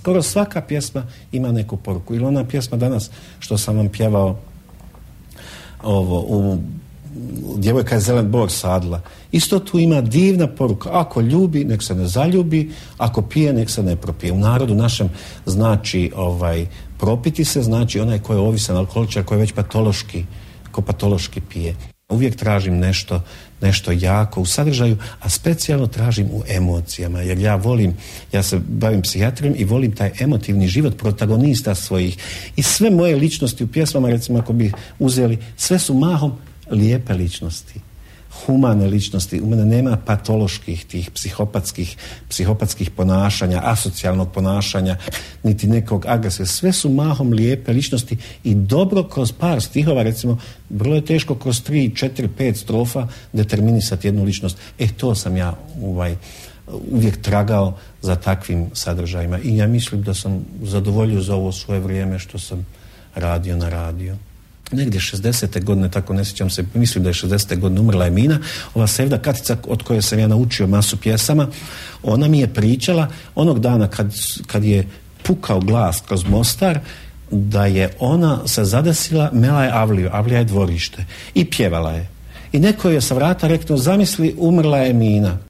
skoro svaka pjesma ima neku poruku. Ili ona pjesma danas što sam vam pjevao Djevojka je zelen bor sadla. Isto tu ima divna poruka. Ako ljubi, nek se ne zaljubi, ako pije, nek se ne propije. U narodu našem znači propiti se, znači onaj ko je ovisan alkoholičar, koji je već patološki pije. Uvijek tražim nešto jako u sadržaju, a specijalno tražim u emocijama, jer ja se bavim psihijatrijom i volim taj emotivni život protagonista svojih. I sve moje ličnosti u pjesmama, recimo ako bi uzeli, sve su mahom lijepe ličnosti, humane ličnosti. U mene nema patoloških tih psihopatskih ponašanja, asocijalnog ponašanja, niti nekog agresije. Sve su mahom lijepe ličnosti i dobro kroz par stihova, recimo, vrlo je teško kroz 3, 4, 5 strofa determinisati jednu ličnost. To sam ja uvijek tragao za takvim sadržajima i ja mislim da sam zadovoljio za ovo svoje vrijeme što sam radio na radiju. Negdje 60. godine, tako ne sjećam se, mislim da je 60. godine umrla je Mina, ova Sevda Katica od koje sam ja naučio masu pjesama. Ona mi je pričala onog dana kad je pukao glas kroz Mostar, da je ona se zadesila, mela je Avliju, Avlija je dvorište i pjevala je. I neko je sa vrata rekao, zamisli, umrla je Mina.